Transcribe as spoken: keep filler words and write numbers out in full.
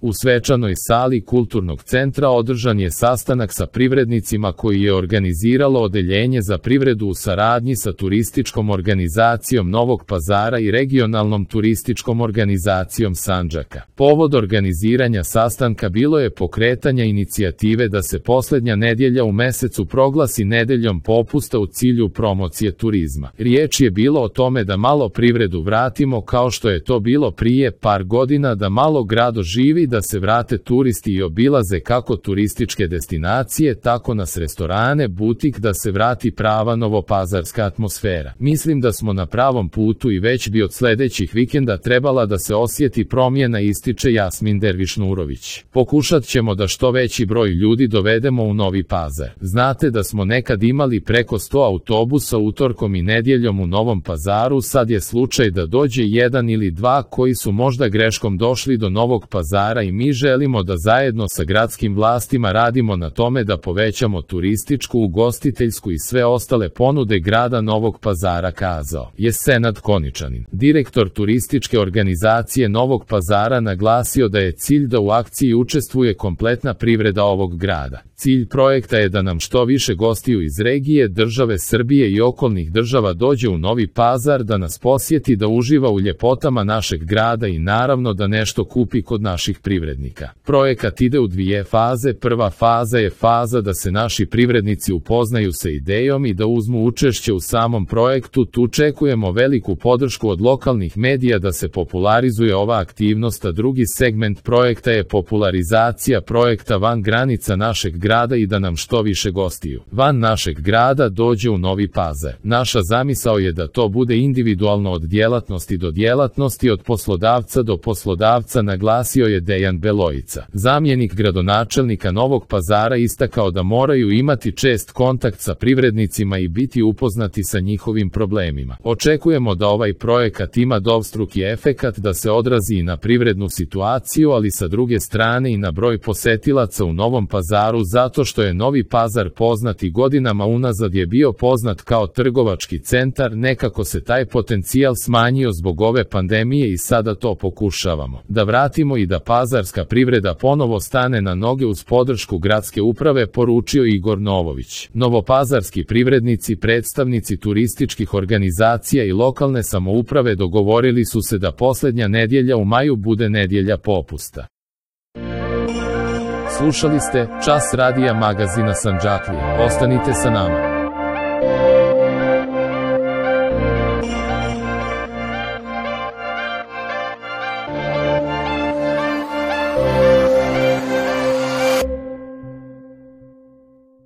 U svečanoj sali Kulturnog centra održan je sastanak sa privrednicima koji je organiziralo Odeljenje za privredu u saradnji sa Turističkom organizacijom Novog Pazara i Regionalnom turističkom organizacijom Sandžaka. Povod organiziranja sastanka bilo je pokretanja inicijative da se poslednja nedjelja u mesecu proglasi nedeljom popusta u cilju promocije turizma. Riječ je bilo o tome da malo privredu vratimo kao što je to bilo prije par godina, da malo grad oživi, da se vrate turisti i obilaze kako turističke destinacije, tako nas restorane, butik, da se vrati prava novopazarska atmosfera. Mislim da smo na pravom putu i već bi od sledećih vikenda trebala da se osjeti promjena, ističe Jasmin Derviš-Nurović. Pokušat ćemo da što veći broj ljudi dovedemo u Novi Pazar. Znate da smo nekad imali preko sto autobusa utorkom i nedjeljom u Novom Pazaru, sad je slučaj da dođe jedan ili dva koji su možda greškom došli do Novog Pazara i mi želimo da zajedno sa gradskim vlastima radimo na tome da povećamo turističku, ugostiteljsku i sve ostale ponude grada Novog Pazara, kazao je Senad Koničanin. Direktor turističke organizacije Novog Pazara naglasio da je cilj da u akciji učestvuje kompletna privreda ovog grada. Cilj projekta je da nam što više gostiju iz regije, države Srbije i okolnih država dođe u Novi Pazar, da nas posjeti, da uživa u ljepotama našeg grada i naravno da nešto kupi kod naših privrednika. Projekat ide u dvije faze. Prva faza je faza da se naši privrednici upoznaju sa idejom i da uzmu učešće u samom projektu. Tu čekujemo veliku podršku od lokalnih medija da se popularizuje ova aktivnost, a drugi segment projekta je popularizacija projekta van granica našeg grada i da nam što više gostiju van našeg grada dođe u Novi Pazar. Naša zamisao je da to bude individualno od djelatnosti do djelatnosti, od poslodavca do poslodavca, naglasio je Dejan Belojica. Zamjenik gradonačelnika Novog Pazara istakao da moraju imati čest kontakt sa privrednicima i biti upoznati sa njihovim problemima. Očekujemo da ovaj projekat ima dvostruki efekat, da se odrazi i na privrednu situaciju, ali sa druge strane i na broj posetilaca u Novom Pazaru, zato što je Novi Pazar poznat i godinama unazad je bio poznat kao trgovački centar. Nekako se taj potencijal smanjio zbog ove pandemije i sada to pokušavamo da vratimo i da pazarska privreda ponovo stane na noge uz podršku gradske uprave, poručio Igor Novović. Novopazarski privrednici, predstavnici turističkih organizacija i lokalne samouprave dogovorili su se da poslednja nedjelja u maju bude nedjelja popusta. Slušali ste Čas radija magazina Sandžaklije. Ostanite sa nama.